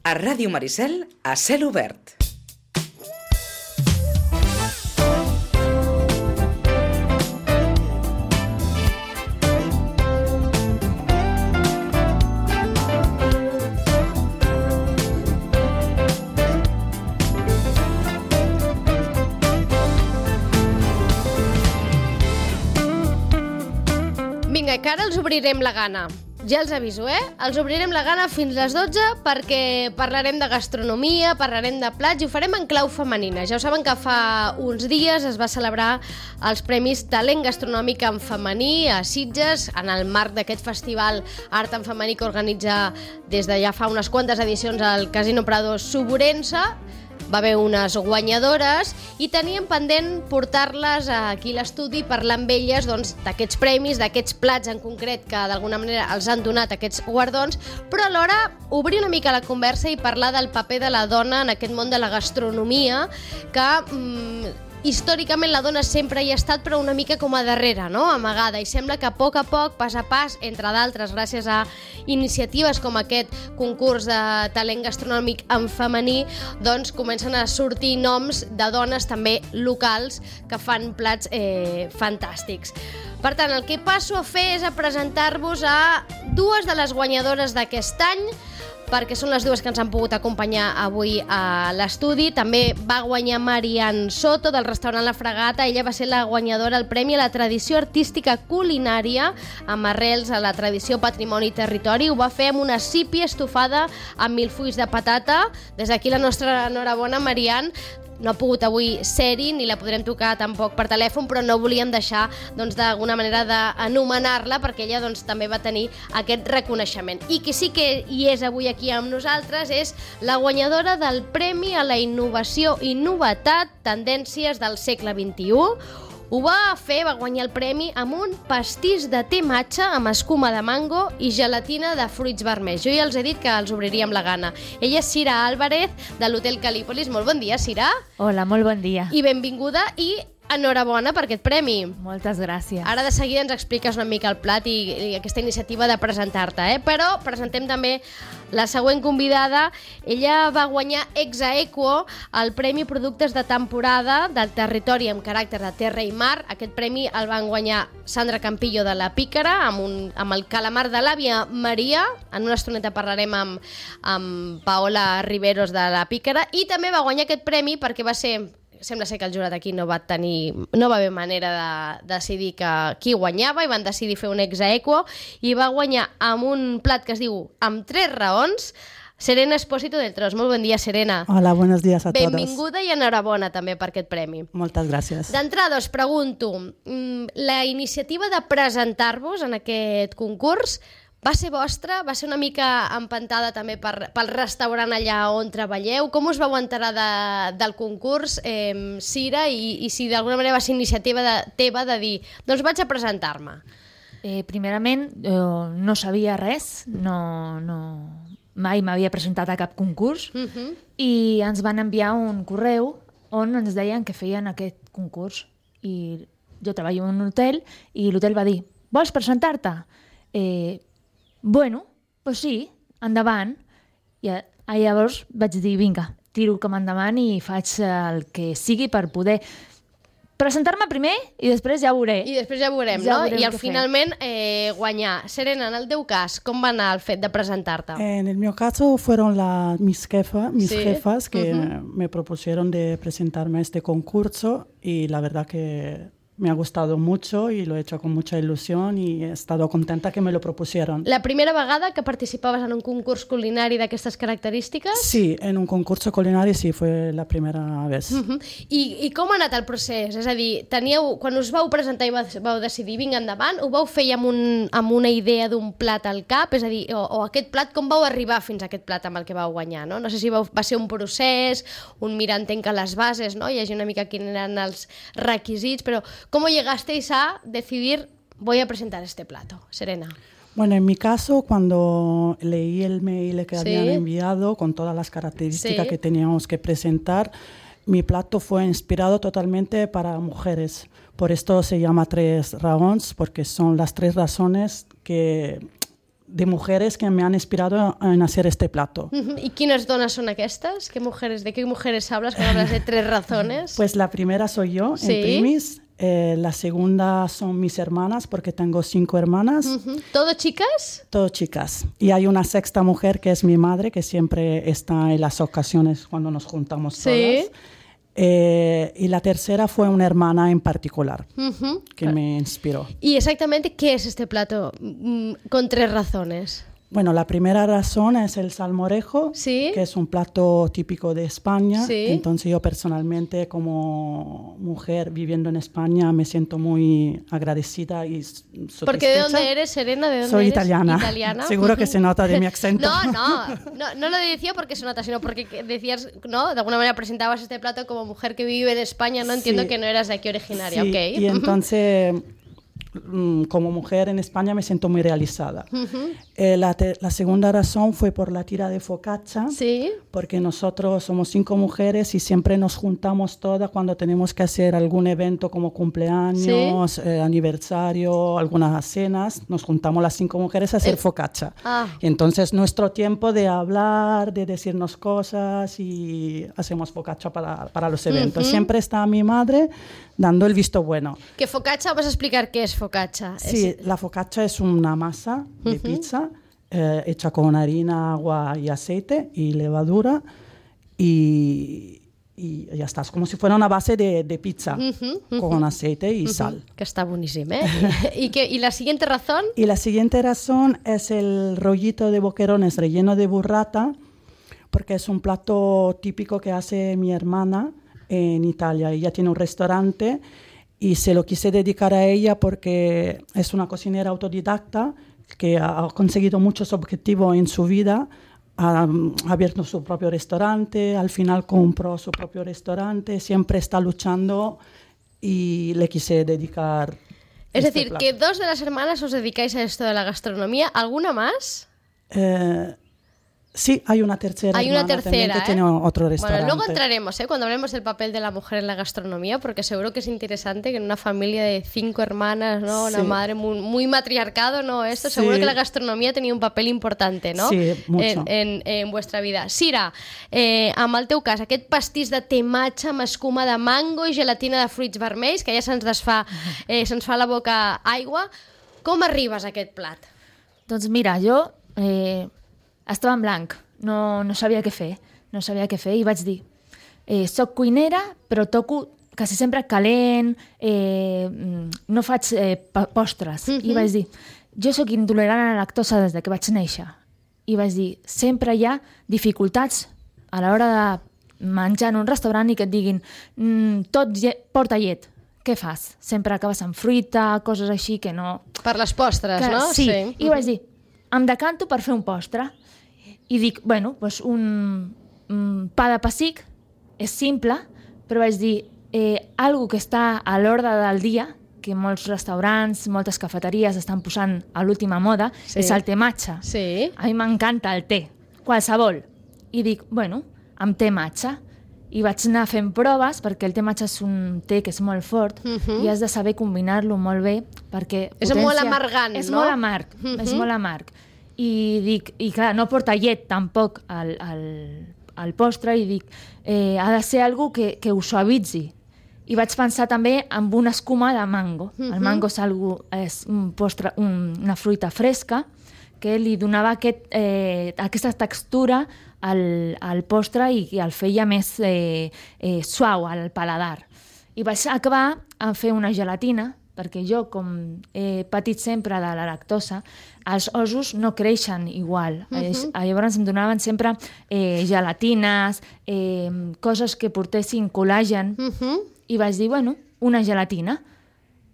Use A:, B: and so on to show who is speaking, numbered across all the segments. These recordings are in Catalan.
A: A Ràdio Maricel, a cel obert.
B: Vinga, que ara els obrirem la gana. Ja els aviso, Els obrirem la gana fins les 12 perquè parlarem de gastronomia, parlarem de plats i ho farem en clau femenina. Ja ho saben que fa uns dies es va celebrar els Premis Talent Gastronòmic en Femení a Sitges, en el marc d'aquest festival Art en Femení que organitza des de ja fa unes quantes edicions al Casino Prado Suburense. Va haver unes guanyadores i teníem pendent portar-les aquí a l'estudi i parlar amb elles d'aquests premis, d'aquests plats en concret que d'alguna manera els han donat aquests guardons, però alhora obrir una mica la conversa i parlar del paper de la dona en aquest món de la gastronomia que històricament la dona sempre hi ha estat, però una mica com a darrere, no? Amagada, i sembla que a poc, pas a pas, entre d'altres, gràcies a iniciatives com aquest concurs de talent gastronòmic en femení, doncs comencen a sortir noms de dones també locals que fan plats fantàstics. Per tant, el que passo a fer és a presentar-vos a dues de les guanyadores d'aquest any, perquè són les dues que ens han pogut acompanyar avui a l'estudi. També va guanyar Marian Soto, del restaurant La Fragata. Ella va ser la guanyadora al Premi a la Tradició Artística Culinària, amb arrels a la tradició, patrimoni i territori. Ho va fer amb una sípia estofada amb milfulls de patata. Des d'aquí la nostra enhorabona, Marian. No ha pogut avui ser-hi, ni la podrem tocar tampoc per telèfon, però no volíem deixar d'alguna manera d'anomenar-la perquè ella també va tenir aquest reconeixement. I qui sí que hi és avui aquí amb nosaltres és la guanyadora del Premi a la Innovació i Novetat Tendències del segle XXI. Ho va fer, va guanyar el premi amb un pastís de te matxa amb escuma de mango i gelatina de fruits vermells. Jo ja els he dit que els obriríem la gana. Ella és Sira Álvarez, de l'Hotel Calípolis. Molt bon dia, Sira.
C: Hola, molt bon dia.
B: I benvinguda i enhorabona per aquest premi.
C: Moltes gràcies.
B: Ara de seguida ens expliques una mica el plat i aquesta iniciativa de presentar-te, Però presentem també la següent convidada. Ella va guanyar ex aequo el Premi Productes de Temporada del Territori amb caràcter de terra i mar. Aquest premi el van guanyar Sandra Campillo de la Pícara amb el calamar de l'àvia Maria. En una estoneta parlarem amb Paola Riveros de la Pícara. I també va guanyar aquest premi perquè sembla ser que el jurat aquí no va haver manera de decidir qui guanyava i van decidir fer un ex aequo i va guanyar amb un plat que es diu Amb 3 raons, Serena Espósito del Tros. Molt bon dia, Serena.
D: Hola, buenos días a todos.
B: Benvinguda i enhorabona també per aquest premi.
D: Moltes gràcies.
B: D'entrada us pregunto, la iniciativa de presentar-vos en aquest concurs va ser vostra? Va ser una mica empantada també pel restaurant allà on treballeu? Com us vau enterar del concurs, Sira, i si d'alguna manera va ser iniciativa teva de dir doncs vaig a presentar-me?
C: Primerament, no sabia res, mai m'havia presentat a cap concurs i ens van enviar un correu on ens deien que feien aquest concurs. I jo treballo en un hotel i l'hotel va dir, vols presentar-te? Bueno, doncs sí, endavant. I llavors vaig dir, vinga, tiro com endavant i faig el que sigui per poder presentar-me primer i després ja ho veuré.
B: I després ja ho veurem, no? I finalment guanyar. Serena, en el teu cas, com va anar el fet de presentar-te?
D: En el meu caso fueron mis jefas que me propusieron de presentarme a este concurso y la verdad que me ha gustado mucho y lo he hecho con mucha ilusión y he estado contenta que me lo propusieron.
B: La primera vegada que participaves en un concurs culinari d'aquestes característiques?
D: Sí, en un concurso culinario sí, fue la primera vez.
B: I com ha anat el procés? És a dir, quan us vau presentar i vau decidir vinga endavant, ho vau fer amb una idea d'un plat al cap? És a dir, o aquest plat, com vau arribar fins a aquest plat amb el que vau guanyar? No sé si va ser un procés, un mirar entenc que les bases, no? Llegir una mica quins eren els requisits, però ¿cómo llegasteis a decidir voy a presentar este plato? Serena.
D: Bueno, en mi caso, cuando leí el mail que habían enviado con todas las características que teníamos que presentar, mi plato fue inspirado totalmente para mujeres. Por esto se llama 3 raons, porque son las 3 razones que de mujeres que me han inspirado en hacer este plato.
B: ¿Y quiénes donas son aquestes? ¿De qué mujeres hablas cuando hablas de 3 razones?
D: Pues la primera soy yo,
B: ¿Sí?
D: en primis. La segunda son mis hermanas, porque tengo 5 hermanas.
B: ¿Todo chicas?
D: Todo chicas. Y hay una sexta mujer que es mi madre, que siempre está en las ocasiones cuando nos juntamos todas. Y la tercera fue una hermana en particular que me inspiró.
B: ¿Y exactamente qué es este plato con 3 razones?
D: Bueno, la primera razón es el salmorejo,
B: ¿Sí?
D: que es un plato típico de España.
B: ¿Sí?
D: Entonces yo personalmente, como mujer viviendo en España, me siento muy agradecida y satisfecha.
B: ¿Porque de dónde eres, Serena? ¿De dónde
D: Soy
B: eres?
D: italiana. Seguro que se nota de mi acento.
B: No lo decía porque se nota, sino porque decías, ¿no? De alguna manera presentabas este plato como mujer que vive en España, ¿no? Entiendo
D: Sí.
B: que no eras de aquí originaria,
D: Sí,
B: ¿ok?
D: y entonces, como mujer en España me siento muy realizada. La segunda razón fue por la tira de focaccia,
B: ¿Sí?
D: porque nosotros somos 5 mujeres y siempre nos juntamos todas cuando tenemos que hacer algún evento como cumpleaños, aniversario, algunas cenas, nos juntamos las 5 mujeres a hacer focaccia. Entonces nuestro tiempo de hablar, de decirnos cosas y hacemos focaccia para los eventos. Siempre está mi madre dando el visto bueno.
B: ¿Qué focaccia? Vas a explicar qué es focaccia.
D: Sí, la focaccia es una masa de pizza hecha con harina, agua y aceite y levadura y ya está. Es como si fuera una base de pizza con aceite y sal.
B: Que está buenísimo, ¿eh? ¿Y la siguiente razón?
D: Y la siguiente razón es el rollito de boquerones relleno de burrata, porque es un plato típico que hace mi hermana en Italia. Ella tiene un restaurante y se lo quise dedicar a ella porque es una cocinera autodidacta que ha conseguido muchos objetivos en su vida. Ha abierto su propio restaurante, al final compró su propio restaurante, siempre está luchando y le quise dedicar.
B: Es decir, que 2 de las hermanas os dedicáis a esto de la gastronomía. ¿Alguna más?
D: Sí, hay una tercera.
B: Hay una
D: hermana
B: tercera,
D: también que tiene otro restaurante.
B: Bueno, luego entraremos, cuando hablemos del papel de la mujer en la gastronomía, porque seguro que es interesante que en una familia de 5 hermanas, ¿no? Una madre muy matriarcado, ¿no? Esto, seguro que la gastronomía tenía un papel importante, no?
D: Sí, mucho.
B: En vuestra vida. Sira, amb el teu cas, aquest pastís de tematge amb escuma de mango i gelatina de fruits vermells, que ja se'ns fa la boca aigua, com arribes a aquest plat?
C: Doncs mira, jo estava en blanc, no sabia què fer, i vaig dir, soc cuinera, però toco quasi sempre calent, no faig postres. I vaig dir, jo sóc intolerant a la lactosa des que vaig néixer. I vaig dir, sempre hi ha dificultats a l'hora de menjar en un restaurant i que et diguin, tot porta llet. Què fas? Sempre acabes amb fruita, coses així que no...
B: Per les postres, no?
C: Sí. I vaig dir, em decanto per fer un postre. I dic, bueno, doncs un pa de pessic és simple, però vaig dir, algo que està a l'ordre del dia, que molts restaurants, moltes cafeteries estan posant a l'última moda, és el té matxa.
B: Sí.
C: A mi m'encanta el té, qualsevol. I dic, bueno, amb té matxa. I vaig anar fent proves, perquè el té matxa és un té que és molt fort i has de saber combinar-lo molt bé, perquè...
B: És molt amargant, no?
C: És molt amarg, és molt amarg. I dic, i clar, no porta llet tampoc al postre, i dic, ha de ser algo que ho suavitzi. I vaig pensar també en una escuma de mango. El mango és un postre, una fruita fresca que li donava aquesta textura al postre i el feia més suau al paladar. I vaig acabar a fer una gelatina, perquè jo, com he patit sempre de la lactosa, els ossos no creixen igual. Llavors em donaven sempre gelatines, coses que portessin col·làgen, i vaig dir, bueno, una gelatina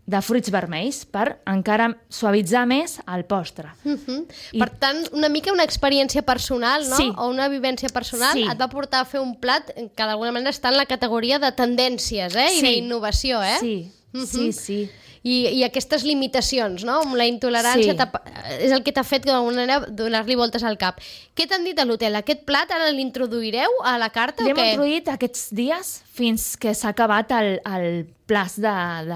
C: de fruits vermells per encara suavitzar més el postre.
B: Per tant, una mica una experiència personal, no?
C: Sí.
B: O una vivència personal et va portar a fer un plat que d'alguna manera està en la categoria de tendències, i d'innovació,
C: Sí.
B: I aquestes limitacions, no? Amb la intolerància és el que t'ha fet d'alguna manera donar-li voltes al cap. Què t'han dit a l'hotel? Aquest plat ara l'introduireu a la carta o què?
C: L'hem introduït aquests dies fins que s'ha acabat el plaç del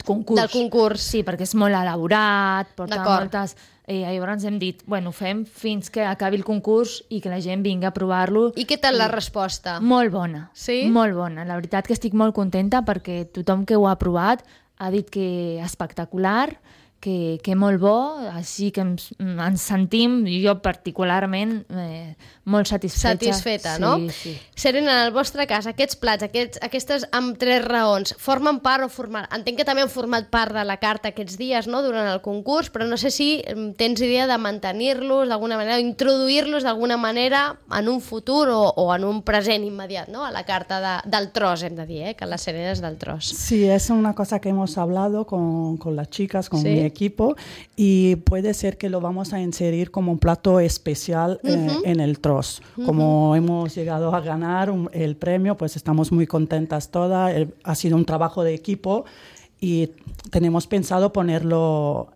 C: concurs.
B: Del concurs.
C: Sí, perquè és molt elaborat, porta moltes Llavors hem dit, bueno, fem fins que acabi el concurs i que la gent vingui a provar-lo.
B: I què tal la resposta?
C: Molt bona,
B: Sí?
C: molt bona. La veritat que estic molt contenta perquè tothom que ho ha provat ha dit que espectacular, que molt bo, així que ens sentim, jo particularment, molt
B: Satisfeta, no?
C: Sí.
B: Serena, en el vostre cas, aquests plats, aquestes amb 3 raons, formen part o entenc que també han format part de la carta aquests dies, no?, durant el concurs, però no sé si tens idea de mantenir-los d'alguna manera, o introduir-los d'alguna manera en un futur o en un present immediat, no?, a la carta del tros, hem de dir, que la Serena és del tros.
D: Sí, es una cosa que hemos hablado con las chicas, con
B: ¿Sí?
D: mi equipo, y puede ser que lo vamos a inserir como un plato especial en el tros. Como hemos llegado a ganar el premio, pues estamos muy contentas todas. Ha sido un trabajo de equipo y tenemos pensado ponerlo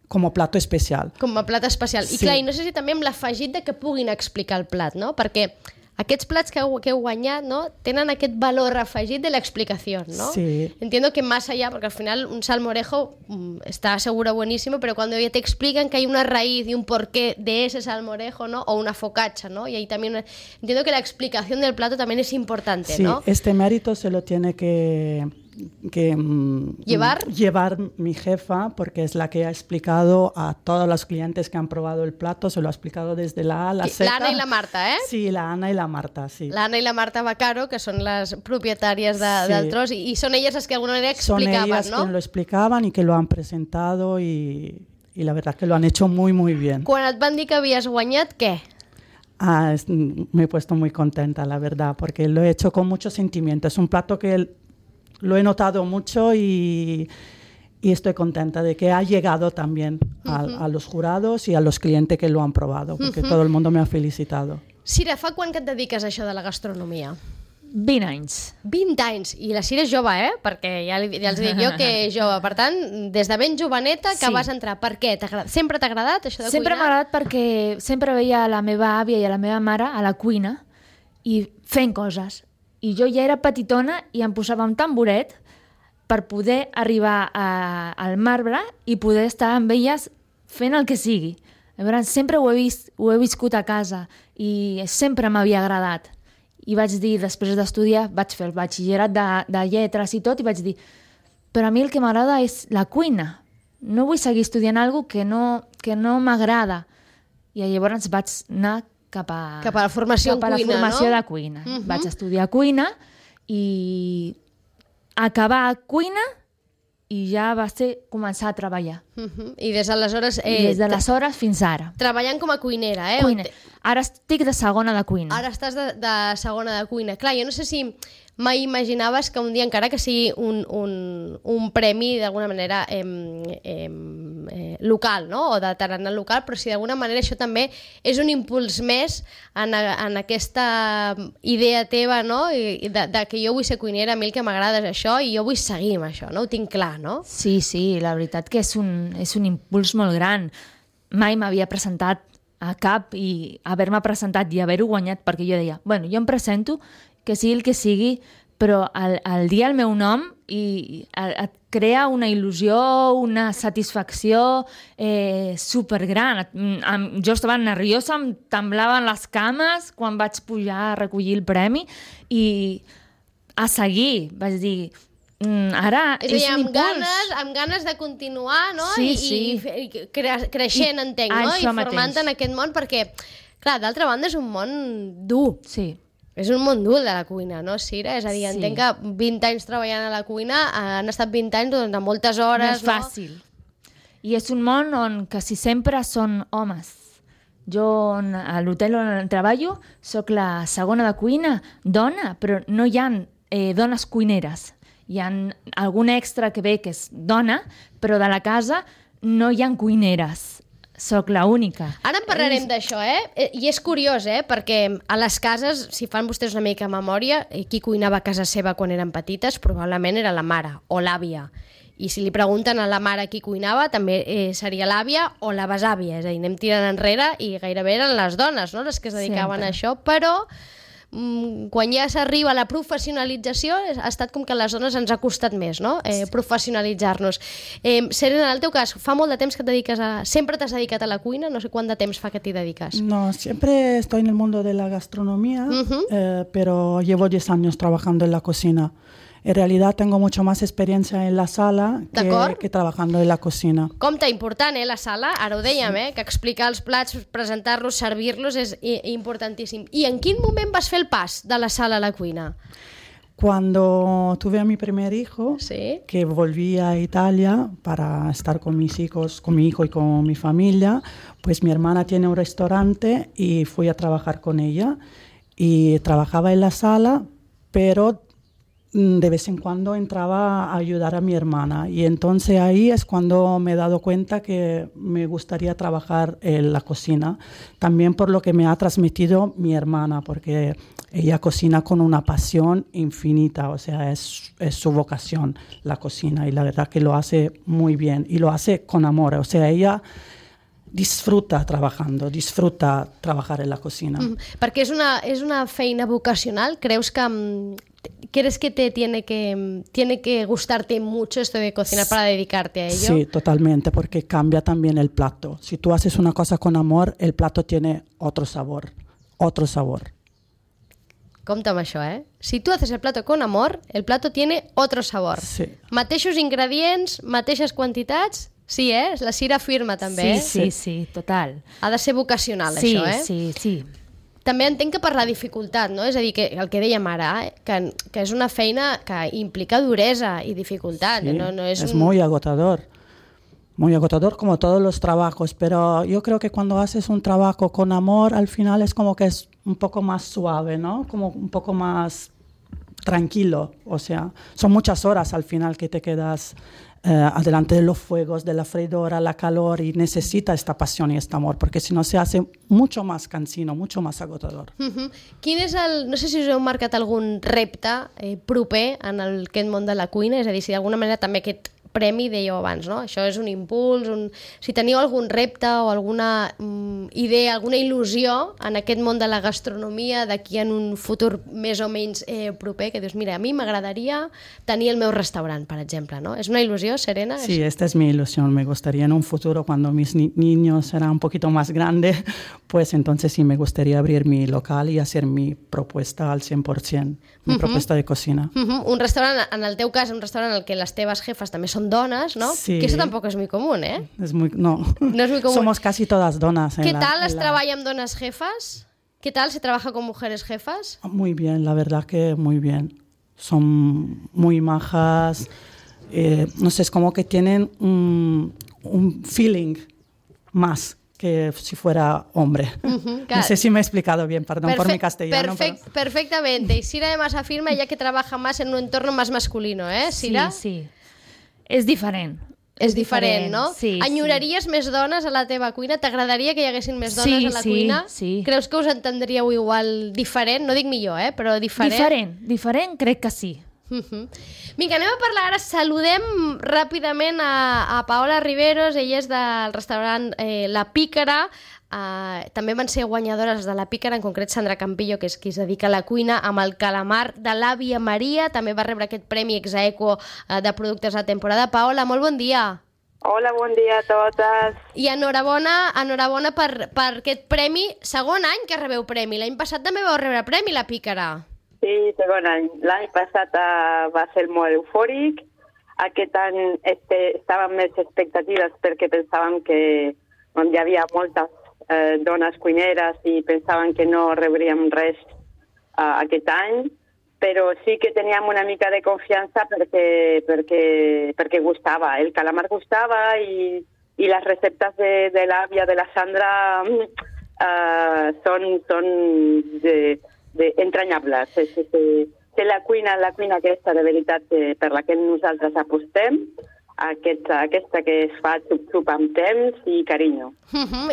D: com a plat especial.
B: Com a plat especial. I
D: Sí.
B: clar, i no sé si també amb l'afegit de que puguin explicar el plat, no? Perquè aquests plats que heu guanyat, no?, tenen aquest valor afegit de l'explicació, ¿no?
D: Sí.
B: Entiendo que más allá, porque al final un salmorejo está seguro buenísimo, pero cuando ya te explican que hay una raíz y un porqué de ese salmorejo, ¿no?, o una focaccia, ¿no?, y ahí también entiendo que la explicación del plato también es importante,
D: Sí,
B: ¿no?
D: este mérito se lo tiene que llevar mi jefa, porque es la que ha explicado a todos los clientes que han probado el plato, se lo ha explicado desde la A a la Z.
B: La Ana y la Marta, ¿eh?
D: Sí, la Ana y la Marta, sí.
B: La Ana y la Marta Bacaro, que son las propietàries del tros, y son ellas las que de alguna manera explicaban,
D: Son ellas
B: ¿no?
D: quien lo explicaban y que lo han presentado y la verdad que lo han hecho muy, muy bien.
B: Quan et van dir que havies guanyat, què?
D: Me he puesto muy contenta, la verdad, porque lo he hecho con mucho sentimiento. Es un plato que lo he notado mucho y estoy contenta de que ha llegado también a los jurados y a los clientes que lo han probado, porque todo el mundo me ha felicitado.
B: Sira, fa quan que et dediques a això de la gastronomia?
C: 20 anys.
B: 20 anys. I la Sira és jove, perquè ja els dic jo que és jove. Per tant, des de ben joveneta que
C: Sí.
B: vas entrar. Per què? Sempre t'ha agradat això de
C: Sempre m'ha
B: cuinar?
C: agradat perquè sempre veia la meva àvia i a la meva mare a la cuina i fent coses. I jo ja era petitona i em posava un tamboret per poder arribar al marbre i poder estar amb elles fent el que sigui. Llavors, sempre ho he viscut a casa i sempre m'havia agradat. I vaig dir, després d'estudiar, vaig fer el batxillerat de lletres i tot, i vaig dir, però a mi el que m'agrada és la cuina. No vull seguir estudiant alguna cosa que no m'agrada. I llavors vaig anar cap a
B: la formació en cuina,
C: la formació
B: no?
C: de cuina. Vaig estudiar cuina i acabar cuina i ja va ser començar a treballar.
B: I des d'aleshores...
C: I des d'aleshores fins ara.
B: Treballant com a cuinera,
C: Cuina. Ara estic de segona de cuina.
B: Ara estàs de segona de cuina. Clar, jo no sé si mai imaginaves que un dia, encara que sigui un premi d'alguna manera local, no?, o de tarannà local, però si d'alguna manera això també és un impuls més en aquesta idea teva, no?, i de que jo vull ser cuinera, a mi el que m'agrada és això i jo vull seguir amb això, no? Ho tinc clar, no?
C: Sí, la veritat que és un impuls molt gran. Mai m'havia presentat a cap i haver-me presentat i haver-ho guanyat, perquè jo deia, bueno, jo em presento, que sigui el que sigui, però al dir el meu nom et crea una il·lusió, una satisfacció supergran. Jo estava nerviosa, em temblaven les cames quan vaig pujar a recollir el premi i a seguir, vaig dir, ara
B: és a dir,
C: un impuls.
B: amb ganes de continuar, no?
C: Sí.
B: I creixent, entenc, no? I formant en aquest món, perquè, clar, d'altra banda és un món dur.
C: Sí.
B: És un món dur de la cuina, no, Sira? És a dir,
C: Sí.
B: entenc que 20 anys treballant a la cuina han estat 20 anys de moltes hores,
C: No és fàcil. I és un món on quasi sempre són homes. Jo, a l'hotel on treballo, sóc la segona de cuina, dona, però no hi ha dones cuineres. Hi ha algun extra que ve que és dona, però de la casa no hi ha cuineres. Soc l'única.
B: Ara en parlarem d'això, I és curiós, perquè a les cases, si fan vostès una mica memòria, qui cuinava a casa seva quan eren petites probablement era la mare o l'àvia. I si li pregunten a la mare qui cuinava, també seria l'àvia o la besàvia. És a dir, anem tirant enrere i gairebé eren les dones, no?, les que es dedicaven a això, però quan ja s'arriba a la professionalització ha estat com que a les dones ens ha costat més, no? Professionalitzar-nos. Serena, en el teu cas, fa molt de temps que et dediques sempre t'has dedicat a la cuina? No sé quant de temps fa que t'hi dediques.
D: No, siempre estoy en el mundo de la gastronomía, pero llevo 10 años trabajando en la cocina. En realidad tengo mucho más experiencia en la sala que trabajando en la cocina.
B: Compte, important, la sala, ara ho dèiem, que explicar els plats, presentar-los, servir-los és importantíssim. I en quin moment vas fer el pas de la sala a la cuina?
D: Cuando tuve a mi primer hijo,
B: ¿Sí?
D: que volví a Italia para estar con mis hijos, con mi hijo y con mi familia, pues mi hermana tiene un restaurante y fui a trabajar con ella. Y trabajaba en la sala, pero de vez en cuando entraba a ayudar a mi hermana. Y entonces ahí es cuando me he dado cuenta que me gustaría trabajar en la cocina. También por lo que me ha transmitido mi hermana, porque ella cocina con una pasión infinita. O sea, es su vocación la cocina. Y la verdad que lo hace muy bien. Y lo hace con amor. O sea, ella disfruta trabajando, disfruta trabajar en la cocina.
B: Perquè és una feina vocacional. ¿Crees que tiene que gustarte mucho esto de cocinar para dedicarte a ello?
D: Sí, totalmente, porque cambia también el plato. Si tú haces una cosa con amor, el plato tiene otro sabor, otro sabor.
B: Compte amb això, Si tú haces el plato con amor, el plato tiene otro sabor.
D: Sí.
B: Mateixos ingredients, mateixes quantitats. Sí, és la Cira firma també,
C: Sí, total.
B: Ha de ser vocacional,
C: sí,
B: això,
C: Sí.
B: També entenc que per la dificultat, no? És a dir, que el que dèiem ara, que és una feina que implica duresa i dificultat.
D: Sí,
B: no
D: es muy agotador como todos los trabajos, pero yo creo que cuando haces un trabajo con amor, al final es como que es un poco más suave, ¿no? Como un poco más tranquilo, o sea, son muchas horas al final que te quedas adelante de los fuegos, de la freidora, la calor, y necesita esta pasión y este amor, porque si no se hace mucho más cansino, mucho más agotador.
B: Quin és no sé si us heu marcat algun repte proper en aquest món de la cuina, és a dir, si d'alguna manera també aquest premi, dèieu abans, no? Això és un impuls, si teniu algun repte o alguna idea, alguna il·lusió en aquest món de la gastronomia d'aquí en un futur més o menys proper, que dius, mira, a mi m'agradaria tenir el meu restaurant, per exemple, no? És una il·lusió, Serena?
D: Sí, esta es mi ilusión. Me gustaría en un futuro, cuando mis niños serán un poquito más grandes, pues entonces sí me gustaría abrir mi local y hacer mi propuesta al 100%, mi propuesta de cocina.
B: Un restaurant, en el teu cas, un restaurant en el que les teves jefes també són dones, ¿no?
D: Sí.
B: Que eso tampoco es muy común, ¿eh?
D: No
B: es muy común.
D: Somos casi todas donas.
B: ¿Qué tal es trabajar con donas jefas? ¿Qué tal se trabaja con mujeres jefas?
D: Muy bien, la verdad que muy bien. Son muy majas. No sé, es como que tienen un feeling más que si fuera hombre. No sé si me he explicado bien, perdón por mi castellano.
B: Perfectamente. Y Cira además afirma ella que trabaja más en un entorno más masculino, ¿eh, Cira?
C: Sí. És diferent.
B: És diferent, no?
C: Sí.
B: Enyoraries més dones a la teva cuina? T'agradaria que hi haguessin més dones a la cuina?
C: Sí.
B: Creus que us entendríeu igual diferent? No dic millor, però diferent?
C: Diferent crec que sí.
B: Vinga, anem a parlar ara, saludem ràpidament a Paola Riveros, ella és del restaurant La Pícara. També van ser guanyadores de La Pícara, en concret Sandra Campillo, que és qui es dedica a la cuina, amb el calamar de l'àvia Maria. També va rebre aquest premi Exaequo de productes de temporada. Paola, molt bon dia.
E: Hola, bon dia a totes.
B: I enhorabona per aquest premi. Segon any que rebeu premi. L'any passat també vau rebre premi La Pícara.
E: Sí, segon any. L'any passat va ser molt eufòric. Aquest any estàvem més expectatives perquè pensàvem que hi havia moltes dones cuineres i pensaven que no rebríem res aquest any, però sí que teníem una mica de confiança perquè gustava. El calamar gustava i les receptes de l'àvia de la Sandra són entranyables. La cuina aquesta de veritat per la que nosaltres apostem aquesta que es fa xup-xup amb temps i carinyo.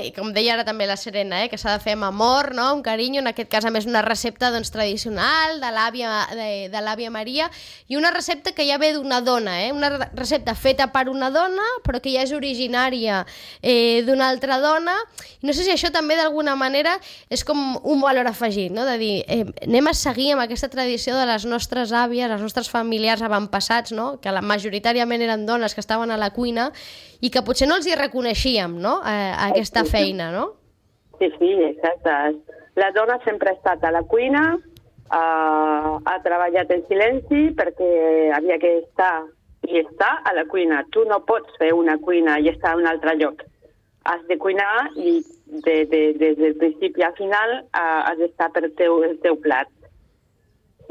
B: I com deia ara també la Serena, que s'ha de fer amb amor, no? Amb carinyo, en aquest cas a més una recepta tradicional de l'àvia Maria, i una recepta que ja ve d'una dona, una recepta feta per una dona però que ja és originària d'una altra dona, i no sé si això també d'alguna manera és com un valor afegit, no? De dir, anem a seguir amb aquesta tradició de les nostres àvies, els nostres familiars avantpassats, no? Que majoritàriament eren dones que estaven a la cuina i que potser no els hi reconeixíem, no? Aquesta feina, no?
E: Sí, exacte. La dona sempre ha estat a la cuina, ha treballat en silenci perquè havia que estar i estar a la cuina. Tu no pots fer una cuina i estar a un altre lloc. Has de cuinar i des del principi al final has d'estar per el teu plat.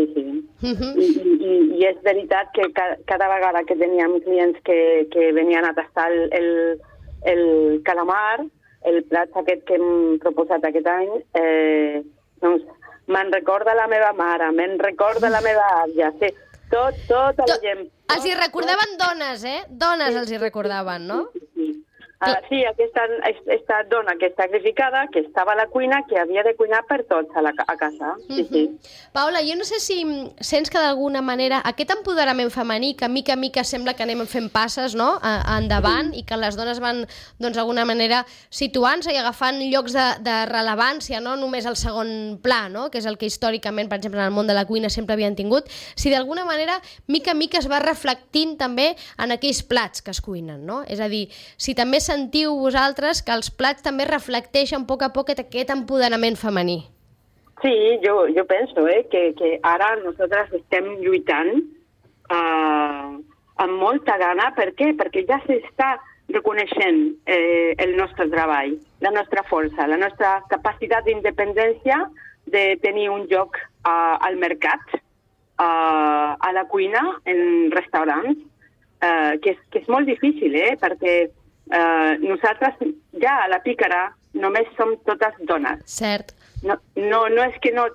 E: Sí. I és veritat que cada vegada que teníem clients que venien a tastar el calamar, el plat aquest que hem proposat aquest any, doncs me'n recorda la meva mare, me'n recorda la meva àvia, sí, tota la gent.
B: Els hi recordaven dones, Dones els hi recordaven, no?
E: Sí, aquesta dona que és sacrificada, que estava a la cuina, que havia de cuinar per tots a casa. Sí.
B: Paula, jo no sé si sents que d'alguna manera aquest empoderament femení, que mica en mica sembla que anem fent passes, no? Endavant, i que les dones van d'alguna manera situant-se i agafant llocs de rellevància, no només al segon pla, no? Que és el que històricament, per exemple, en el món de la cuina sempre havien tingut, si d'alguna manera mica en mica es va reflectint també en aquells plats que es cuinen, no? És a dir, si també sentiu vosaltres que els plats també reflecteixen a poc aquest empoderament femení.
E: Sí, jo penso que ara nosaltres estem lluitant amb molta gana. Per què? Perquè ja s'està reconeixent el nostre treball, la nostra força, la nostra capacitat d'independència de tenir un lloc al mercat, a la cuina, en restaurants, que és molt difícil, perquè nosaltres ja a la Pícara només som totes dones.
B: Cert.
E: No és que no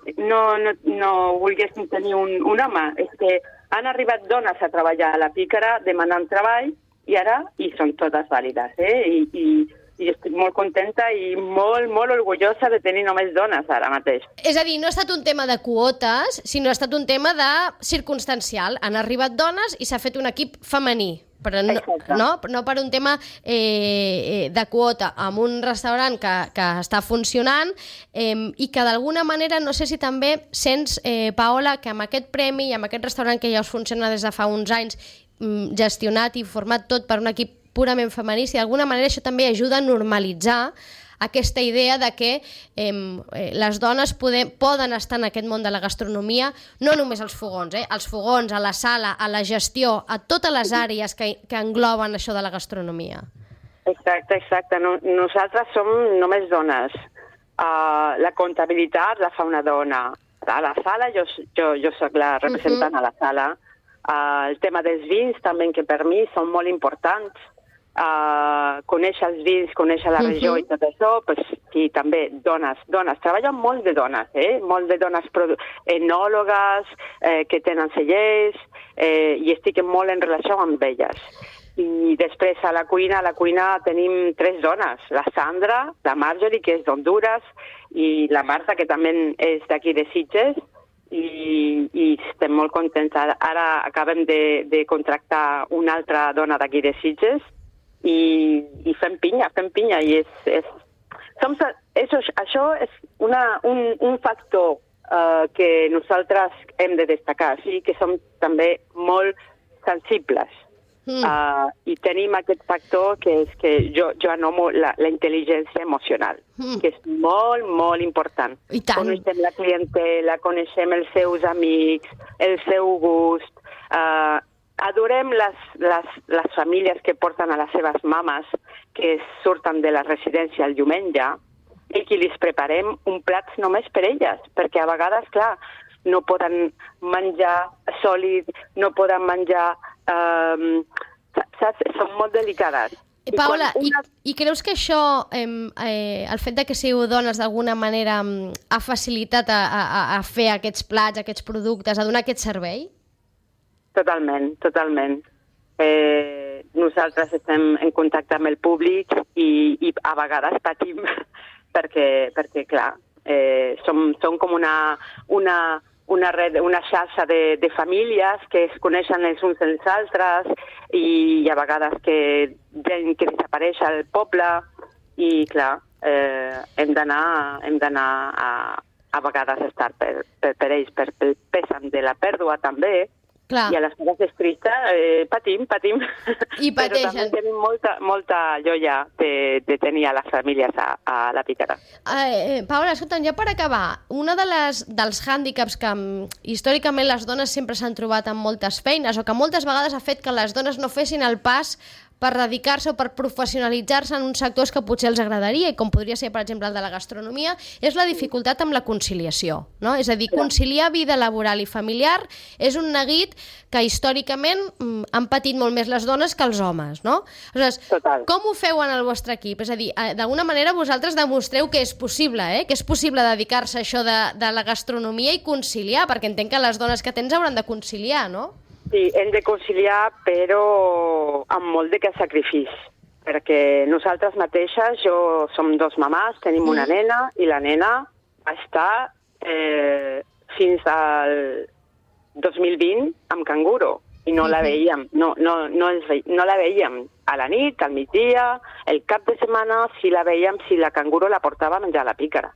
E: volguéssim tenir un home, és que han arribat dones a treballar a la Pícara demanant treball i ara hi són totes vàlides. I estic molt contenta i molt, molt orgullosa de tenir només dones ara mateix.
B: És a dir, no ha estat un tema de quotes, sinó ha estat un tema de circumstancial. Han arribat dones i s'ha fet un equip femení. Però no per un tema de quota, amb un restaurant que està funcionant i que d'alguna manera, no sé si també sents, Paola, que amb aquest premi i amb aquest restaurant que ja us funciona des de fa uns anys, gestionat i format tot per un equip purament femení, si d'alguna manera això també ajuda a normalitzar aquesta idea de que les dones poden estar en aquest món de la gastronomia, no només als fogons, als fogons, a la sala, a la gestió, a totes les àrees que engloben això de la gastronomia.
E: Exacte. Nosaltres som només dones. La comptabilitat la fa una dona. A la sala, jo soc la representant a la sala. El tema dels vins també, que per mi són molt importants. Conèixer els vins, conèixer la regió i tot això, sí, també dones. Treballen molt de dones, molt de dones enòlogues que tenen cellers i estic molt en relació amb elles. I després a la cuina tenim 3 dones, la Sandra, la Marjorie, que és d'Honduras, i la Marta, que també és d'aquí de Sitges, i estem molt contents. Ara acabem de contractar una altra dona d'aquí de Sitges, i fem pinya, i això és un factor que nosaltres hem de destacar, sí, que som també molt sensibles i tenim aquest factor que és que jo anomo la intel·ligència emocional, que és molt, molt important. Coneixem la clientela, coneixem els seus amics, el seu gust, adorem les famílies que porten a les seves mames que surten de la residència el diumenge i que els preparem un plat només per elles, perquè a vegades, clar, no poden menjar sòlid, no poden menjar... saps? Són molt delicades.
B: Paula, i creus que això, el fet de que sigueu dones d'alguna manera ha facilitat a fer aquests plats, aquests productes, a donar aquest servei?
E: Totalment. nosaltres estem en contacte amb el públic i a vegades patim perquè clar, som com una red, una xarxa de famílies que es coneixen els uns dels altres i a vegades gent que desapareix al poble i clar, hem d'anar a vegades a estar per ells, per el pèsam de la pèrdua també.
B: Clar.
E: I a les coses tristes patim.
B: I pateixen.
E: Però també tenim molta joia de tenir a les famílies a la Pícara.
B: Paola, escolta'm, ja per acabar, una dels hàndicaps que històricament les dones sempre s'han trobat amb moltes feines o que moltes vegades ha fet que les dones no fessin el pas per dedicar-se o per professionalitzar-se en uns sectors que potser els agradaria, i com podria ser, per exemple, el de la gastronomia, és la dificultat amb la conciliació, no? És a dir, conciliar vida laboral i familiar és un neguit que històricament han patit molt més les dones que els homes, no? Aleshores, com ho feu en el vostre equip? És a dir, d'alguna manera vosaltres demostreu que és possible, que és possible dedicar-se a això de la gastronomia i conciliar, perquè entenc que les dones que tens hauran de conciliar, no?
E: Sí, hem de conciliar, però amb molt de sacrifici, perquè nosaltres mateixes, som dos mamàs, tenim una nena, i la nena va estar fins al 2020 amb canguro, i no la veiem, no la veiem a la nit, al migdia, el cap de setmana, si la veiem, si la canguro la portava a menjar a la Pícara.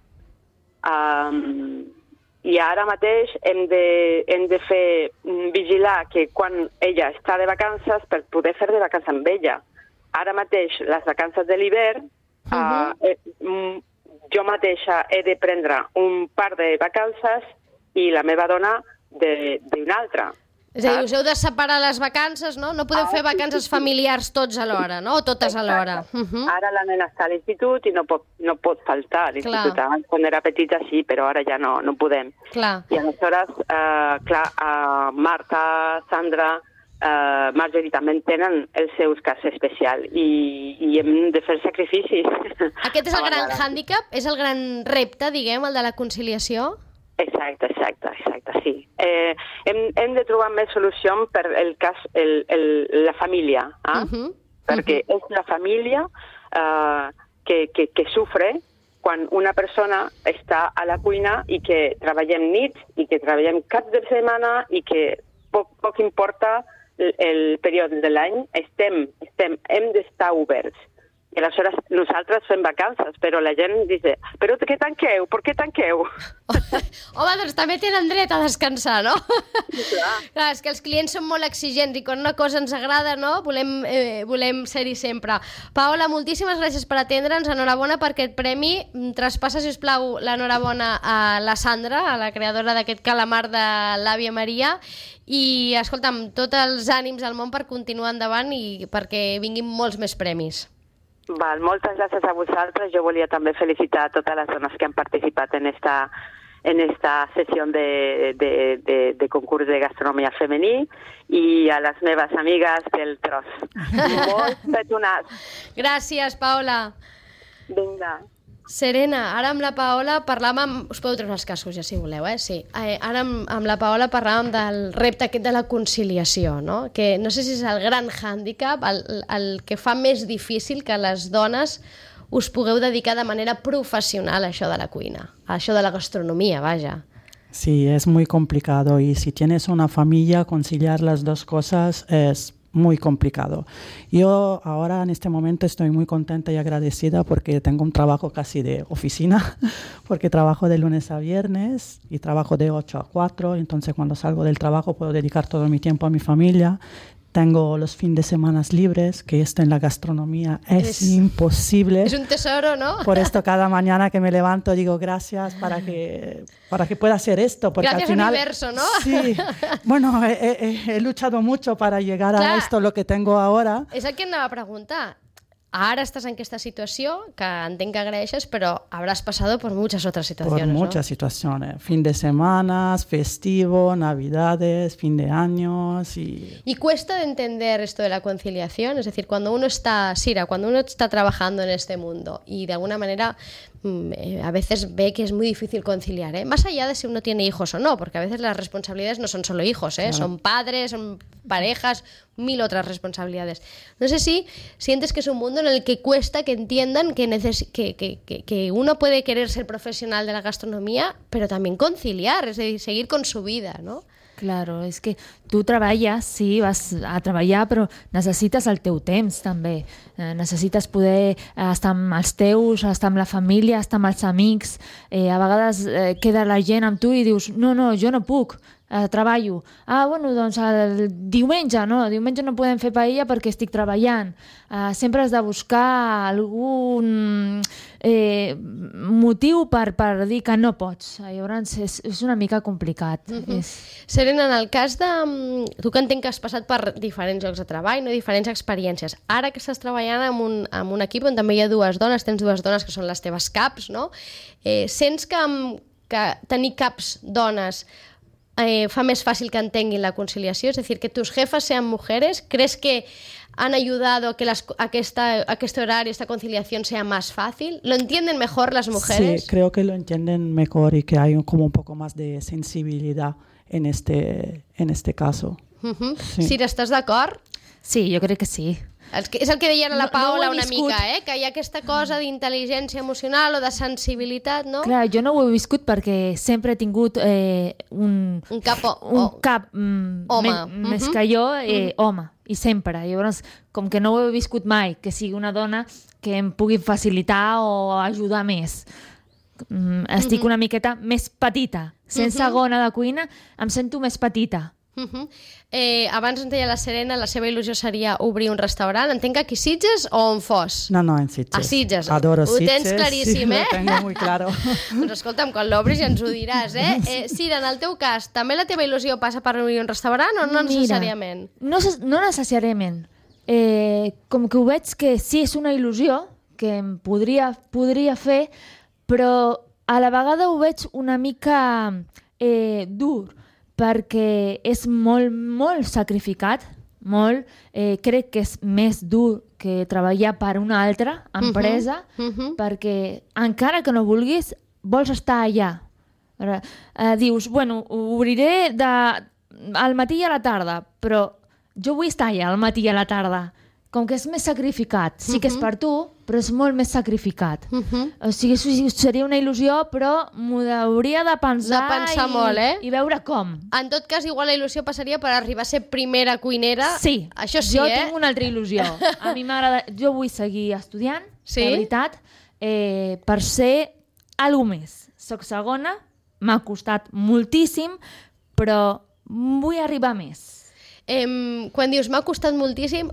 E: I ara mateix hem de fer vigilar que quan ella està de vacances per poder fer de vacances amb ella. Ara mateix, les vacances de l'hivern, jo mateixa he de prendre un par de vacances i la meva dona d'una altra.
B: És a dir, us heu de separar les vacances, no? No podeu fer vacances familiars tots alhora, no? O totes alhora.
E: Ara la nena està a l'institut i no pot faltar a l'institut. Quan era petita sí, però ara ja no podem. I aleshores, Marta, Sandra, Marjorie també tenen els seus casos especials i hem de fer sacrificis.
B: Aquest és el gran hàndicap? És el gran repte, diguem, el de la conciliació?
E: Exacte, sí. Hem de trobar més solució per el cas, la família, perquè és la família que sufre quan una persona està a la cuina i que treballem nit i que treballem cap de setmana i que poc importa el període de l'any, hem d'estar oberts. I aleshores nosaltres fem vacances, però la gent dice, però què tanqueu? Per què tanqueu?
B: Home, doncs també tenen dret a descansar, no? Clar, és que els clients són molt exigents i quan una cosa ens agrada, no? Volem ser-hi sempre. Paola, moltíssimes gràcies per atendre'ns, enhorabona per aquest premi. Traspassa, si us plau, l'enhorabona a la Sandra, a la creadora d'aquest calamar de l'àvia Maria, i, escolta'm, tots els ànims al món per continuar endavant i perquè vinguin molts més premis.
E: Moltes gràcies a vosaltres. Jo volia també felicitar a totes les dones que han participat en esta sessió de concurs de gastronomia femení i a les meves amigues del tros. Molt petonats.
B: Gràcies, Paola.
E: Vinga.
B: Serena, ara amb la Paola parlàvem... Us podeu treure els cascos, ja, si voleu, sí. Ara amb la Paola parlàvem del repte aquest de la conciliació, no? Que no sé si és el gran hàndicap, el que fa més difícil que les dones us pugueu dedicar de manera professional a això de la cuina, a això de la gastronomia, vaja.
D: Sí, es muy complicado y si tienes una familia, conciliar las dos cosas es muy complicado. Yo ahora en este momento estoy muy contenta y agradecida porque tengo un trabajo casi de oficina, porque trabajo de lunes a viernes y trabajo de 8 a 4, entonces cuando salgo del trabajo puedo dedicar todo mi tiempo a mi familia. Tengo los fines de semana libres, que esto en la gastronomía es imposible.
B: Es un tesoro, ¿no?
D: Por esto cada mañana que me levanto digo gracias para que pueda hacer esto. Porque
B: gracias
D: al final,
B: universo, ¿no?
D: Sí, bueno, he luchado mucho para llegar a esto, lo que tengo ahora.
B: És el que em anava a preguntar. Ara estás en esta situació, que entenc que agraeixes, però habrás pasado por muchas otras situaciones,
D: Por muchas situaciones. Fin de semanas, festivo, navidades, fin de años y...
B: ¿Y cuesta de entender esto de la conciliación? Es decir, cuando uno está, Sira, cuando uno está trabajando en este mundo y de alguna manera a veces ve que es muy difícil conciliar, más allá de si uno tiene hijos o no, porque a veces las responsabilidades no son solo hijos,
D: Claro.
B: Son padres, son parejas, 1000 otras responsabilidades. No sé si sientes que es un mundo en el que cuesta que entiendan que uno puede querer ser profesional de la gastronomía, pero también conciliar, es decir, seguir con su vida, ¿no?
C: Claro, és que tu treballes, sí, vas a treballar, però necessites el teu temps, també. Necessites poder estar amb els teus, estar amb la família, estar amb els amics. A vegades queda la gent amb tu i dius, no, jo no puc, treballo. Bueno, doncs el diumenge no podem fer paella perquè estic treballant. Sempre has de buscar algun motiu per dir que no pots. Llavors és una mica complicat.
B: Serena, en el cas de... Tu que entenc que has passat per diferents llocs de treball, no? Diferents experiències. Ara que estàs treballant amb un equip on també hi ha dues dones, tens dues dones que són les teves caps, no? Sents que tenir caps dones fa més fácil que entenguin la conciliación, es decir, que tus jefas sean mujeres? ¿Crees que han ayudado a que este horario, esta conciliación sea más fácil? ¿Lo entienden mejor las mujeres?
D: Sí, creo que lo entienden mejor y que hay como un poco más de sensibilidad en este caso. Sí.
B: Sira, ¿estàs d'acord?
C: Sí, jo crec que sí.
B: És el que deia la Paola una mica, que hi ha aquesta cosa d'intel·ligència emocional o de sensibilitat, no?
C: Clar, jo no ho he viscut perquè sempre he tingut un cap
B: home.
C: Més que jo, home, i sempre. Llavors, com que no ho he viscut mai, que sigui una dona que em pugui facilitar o ajudar més. Estic una miqueta més petita. Sense gona de cuina, em sento més petita.
B: Abans ens deia la Serena, la seva il·lusió seria obrir un restaurant. Entenc que aquí Sitges o on fos?
D: No, en Sitges.
B: A Sitges.
D: Adoro Sitges.
B: Ho tens claríssim,
D: sí, lo tengo muy claro.
B: Doncs escolta'm, quan l'obris ja ens ho diràs, Sira, en el teu cas, també la teva il·lusió passa per obrir un restaurant o no necessàriament?
C: No necessàriament. Com que ho veig que sí és una il·lusió, que em podria fer, però a la vegada ho veig una mica dur, perquè és molt sacrificat, molt. Crec que és més dur que treballar per una altra empresa, perquè encara que no vulguis, vols estar allà. Dius, bueno, obriré al matí i a la tarda, però jo vull estar allà al matí i a la tarda. Com que és més sacrificat. Sí que és per tu, però és molt més sacrificat. O sigui, seria una il·lusió, però m'ho hauria de pensar
B: molt,
C: i veure com.
B: En tot cas, igual la il·lusió passaria per arribar a ser primera cuinera.
C: Sí,
B: això sí,
C: jo tinc una altra il·lusió. A mi m'agrada... Jo vull seguir estudiant, de veritat, per ser alguna més. Soc segona, m'ha costat moltíssim, però vull arribar més.
B: Quan dius m'ha costat moltíssim,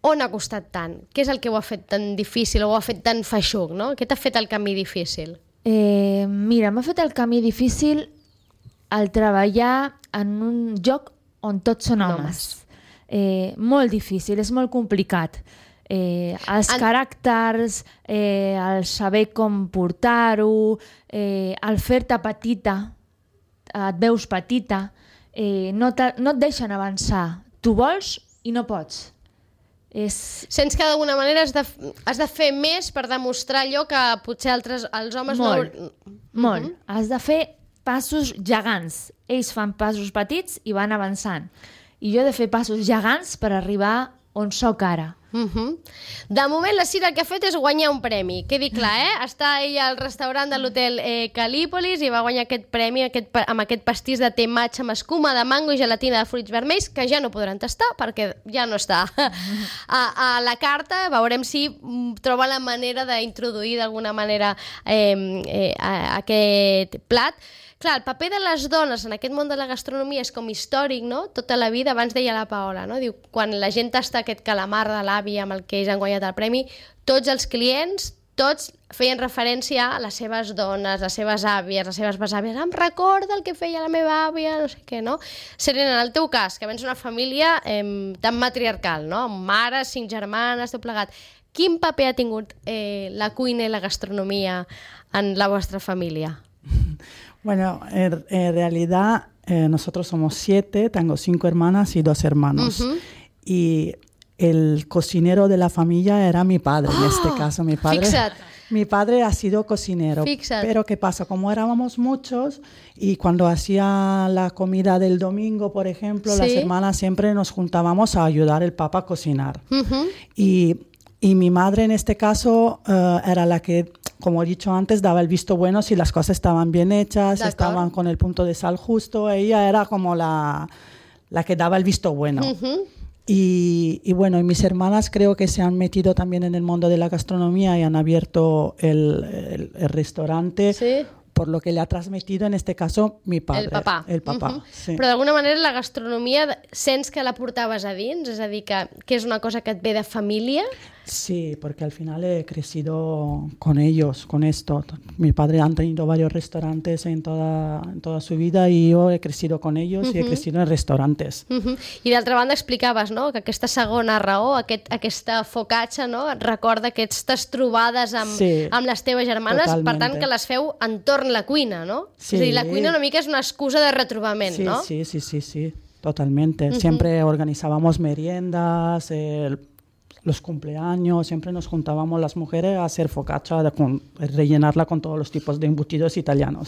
B: on ha costat tant? Què és el que ho ha fet tan difícil o ho ha fet tan feixuc, no? Què t'ha fet el camí difícil?
C: Mira, m'ha fet el camí difícil el treballar en un lloc on tots són homes. Molt difícil, és molt complicat. Els caràcters, el saber com portar-ho, el fer-te petita, et veus petita, no et deixen avançar. Tu vols i no pots.
B: Sents que d'alguna manera has de fer més per demostrar allò que potser els homes
C: molt. Has de fer passos gegants. Ells fan passos petits i van avançant. I jo he de fer passos gegants per arribar on sóc ara.
B: De moment la Sira el que ha fet és guanyar un premi, quedi clar, està ella al restaurant de l'hotel Calípolis i va guanyar aquest premi amb aquest pastís de te matxa amb escuma de mango i gelatina de fruits vermells, que ja no podran tastar perquè ja no està a la carta. Veurem si troba la manera d'introduir d'alguna manera aquest plat. Clar, el paper de les dones en aquest món de la gastronomia és com històric, no? Tota la vida, abans deia la Paola, no? Diu, quan la gent tasta aquest calamar de l'avi amb el que ells han guanyat el premi, tots els clients, tots feien referència a les seves dones, les seves àvies, les seves besàvies. Em recorda el que feia la meva àvia, no sé què, no? Serena, en el teu cas, que vens d'una família tan matriarcal, no? Amb mares, 5 germanes, tot plegat. Quin paper ha tingut la cuina i la gastronomia en la vostra família?
D: Bueno, en realidad nosotros somos 7, tengo 5 hermanas y 2 hermanos. Y el cocinero de la familia era mi padre, en este caso mi padre.
B: Fixa't,
D: Mi padre ha sido cocinero.
B: Fíjate.
D: Pero ¿qué pasa? Como éramos muchos y cuando hacía la comida del domingo, por ejemplo, las hermanas siempre nos juntábamos a ayudar al papá a cocinar. Y mi madre en este caso era la que, como he dicho antes, daba el visto bueno si las cosas estaban bien hechas, estaban con el punto de sal justo. Ella era como la que daba el visto bueno. Y bueno, y mis hermanas creo que se han metido también en el mundo de la gastronomía y han abierto el restaurante. Sí. Por lo que le ha transmitido, en este caso, mi padre. El papà. Sí.
B: Però d'alguna manera la gastronomia sents que la portaves a dins? És a dir, que és una cosa que et ve de família?
D: Sí, porque al final he crecido con ellos, con esto. Mi padre ha tenido varios restaurantes en toda su vida y yo he crecido con ellos y he crecido en restaurantes.
B: I d'altra banda explicaves, no?, que aquesta segona raó, aquesta focaccia, no?, et recorda aquestes trobades amb les teves germanes, totalmente. Per tant que les feu entorn la cuina, no? Sí. És a dir, la cuina una mica és una excusa de retrobament,
D: sí,
B: no?
D: Sí, totalmente. Siempre organizábamos meriendas, los cumpleaños, siempre nos juntábamos las mujeres a hacer focaccia, rellenarla con todos los tipos de embutidos italianos.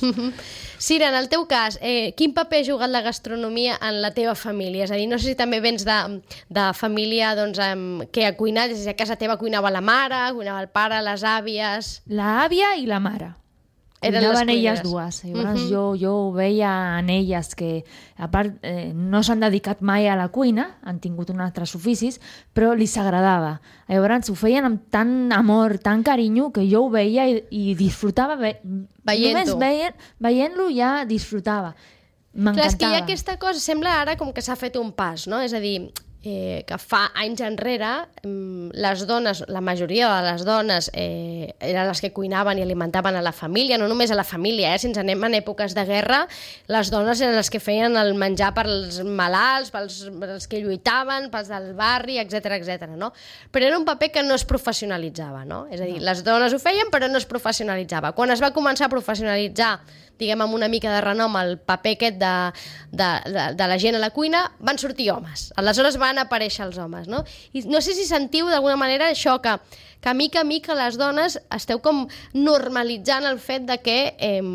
B: Sira, en el teu cas, quin paper ha jugat la gastronomia en la teva família? És a dir, no sé si també vens de família doncs, que ha cuinat, és a dir, a casa teva cuinava la mare, cuinava el pare, les àvies...
C: L'àvia i la mare. Cuinaven elles dues. Llavors jo ho veia en elles que, a part, no s'han dedicat mai a la cuina, han tingut uns altres oficis, però li s'agradava. Llavors ho feien amb tant amor, tant carinyo, que jo ho veia i disfrutava. Només veient-lo ja disfrutava. M'encantava.
B: Clar, és que hi ha aquesta cosa, sembla ara com que s'ha fet un pas, no? És a dir, que fa anys enrere les dones, la majoria de les dones eren les que cuinaven i alimentaven a la família, no només a la família, si ens anem en èpoques de guerra, les dones eren les que feien el menjar pels malalts, pels que lluitaven, pels del barri, etc, no? Però era un paper que no es professionalitzava, no? És a dir, les dones ho feien però no es professionalitzava. Quan es va començar a professionalitzar, diguem, amb una mica de renom, el paper aquest de la gent a la cuina, van sortir homes. Aleshores van aparèixer els homes, no? I no sé si sentiu d'alguna manera això, que mica a mica les dones esteu com normalitzant el fet de que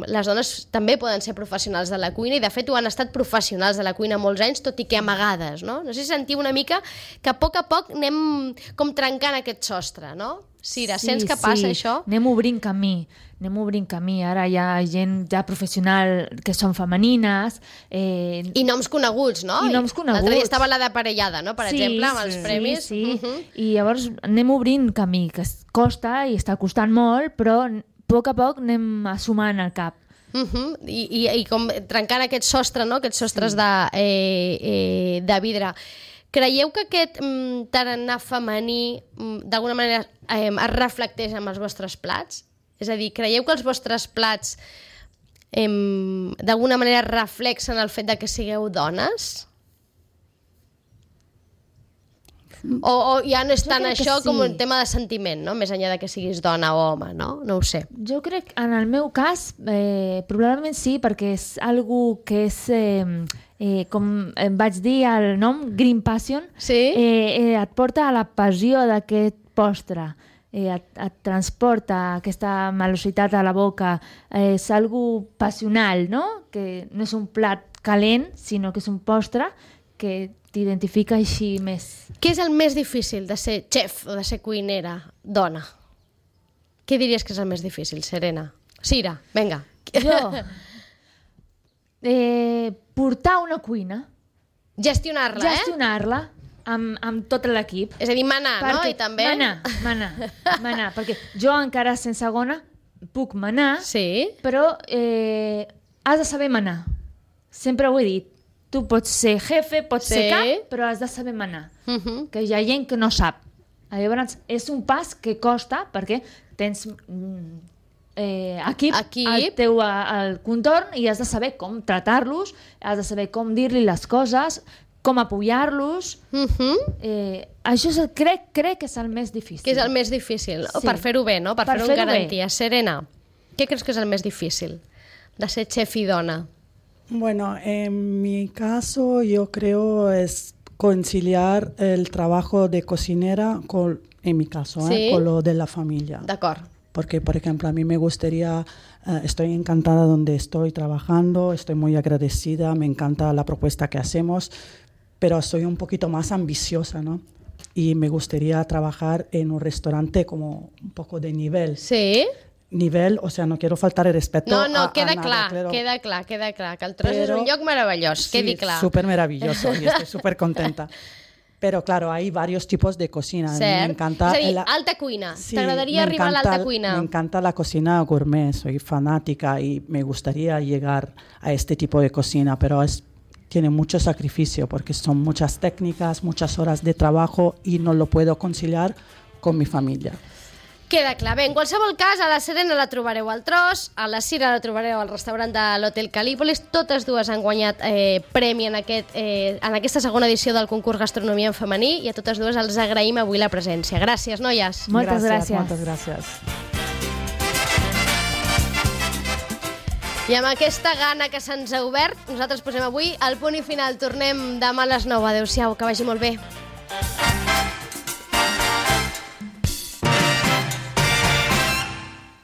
B: les dones també poden ser professionals de la cuina i de fet ho han estat professionals de la cuina molts anys, tot i que amagades, no? No sé si sentiu una mica que a poc anem com trencant aquest sostre, no? Sira, sents que passa això?
C: Anem obrint camí. Ara hi ha gent ja professional que són femenines.
B: I noms coneguts, no?
C: I noms coneguts.
B: L'altre dia estava la de Parellada, no? Per exemple, amb els premis.
C: Sí. I llavors anem obrint camí, que costa i està costant molt, però a poc anem assumant el cap.
B: I com trencant aquest sostre, no? Aquests sostres de vidre. Creieu que aquest tarannà femení d'alguna manera es reflecteix en els vostres plats? És a dir, creieu que els vostres plats d'alguna manera reflexen el fet de que sigueu dones? O ja no és tant això com un tema de sentiment, no? Més enllà de que siguis dona o home, no? No ho sé.
C: Jo crec, en el meu cas, probablement sí, perquè és algo que és... com vaig dir el nom, Green Passion, et porta a la passió d'aquest postre, et transporta aquesta malocitat a la boca, és algo passional, no? Que no és un plat calent, sinó que és un postre que t'identifica així més.
B: Què és el més difícil de ser xef o de ser cuinera dona? Què diries que és el més difícil, Serena? Sira, vinga.
C: Jo... portar una cuina.
B: Gestionar-la,
C: Gestionar-la amb tot l'equip.
B: És a dir, manar, no? I també...
C: Manar. Perquè jo encara sense gona puc manar, però has de saber manar. Sempre ho he dit. Tu pots ser jefe, pots ser cap, però has de saber manar. Que hi ha gent que no sap. Llavors, és un pas que costa perquè tens... equip al contorn i has de saber com tratar-los, has de saber com dir-li les coses, com apoyar-los. Això crec que és el més difícil.
B: Que és el més difícil, per fer-ho bé, no? Per fer-ho amb garantia. Serena, què creus que és el més difícil de ser chef y dona?
D: Bueno, en mi caso yo creo es conciliar el trabajo de cocinera con, en mi caso, con lo de la familia.
B: D'acord.
D: porque, por ejemplo, a mí me gustaría, estoy encantada donde estoy trabajando, estoy muy agradecida, me encanta la propuesta que hacemos, pero soy un poquito más ambiciosa, ¿no? Y me gustaría trabajar en un restaurante como un poco de nivel.
B: Sí?
D: Nivel, o sea, no quiero faltar el respeto
B: queda
D: a nada,
B: clar,
D: claro.
B: queda clar, que el Tros és un lloc meravellós, quedi clar.
D: Sí, súper maravilloso y estoy súper contenta. Pero claro, hay varios tipos de cocina. A mí me encanta...
B: És a dir, alta cuina. T'agradaria arribar a l'alta cuina?
D: Me encanta la cocina gourmet, soy fanática y me gustaría llegar a este tipo de cocina, pero tiene mucho sacrificio porque son muchas técnicas, muchas horas de trabajo y no lo puedo conciliar con mi familia.
B: Queda clar. Bé, en qualsevol cas, a la Serena la trobareu al Tros, a la Cira la trobareu al restaurant de l'Hotel Calípolis. Totes dues han guanyat premi en aquesta segona edició del concurs Gastronomia en femení i a totes dues els agraïm avui la presència. Gràcies, noies.
C: Moltes gràcies.
D: Moltes gràcies.
B: I amb aquesta gana que se'ns ha obert, nosaltres posem avui el punt i final. Tornem demà a les 9. Adéu-siau, que vagi molt bé.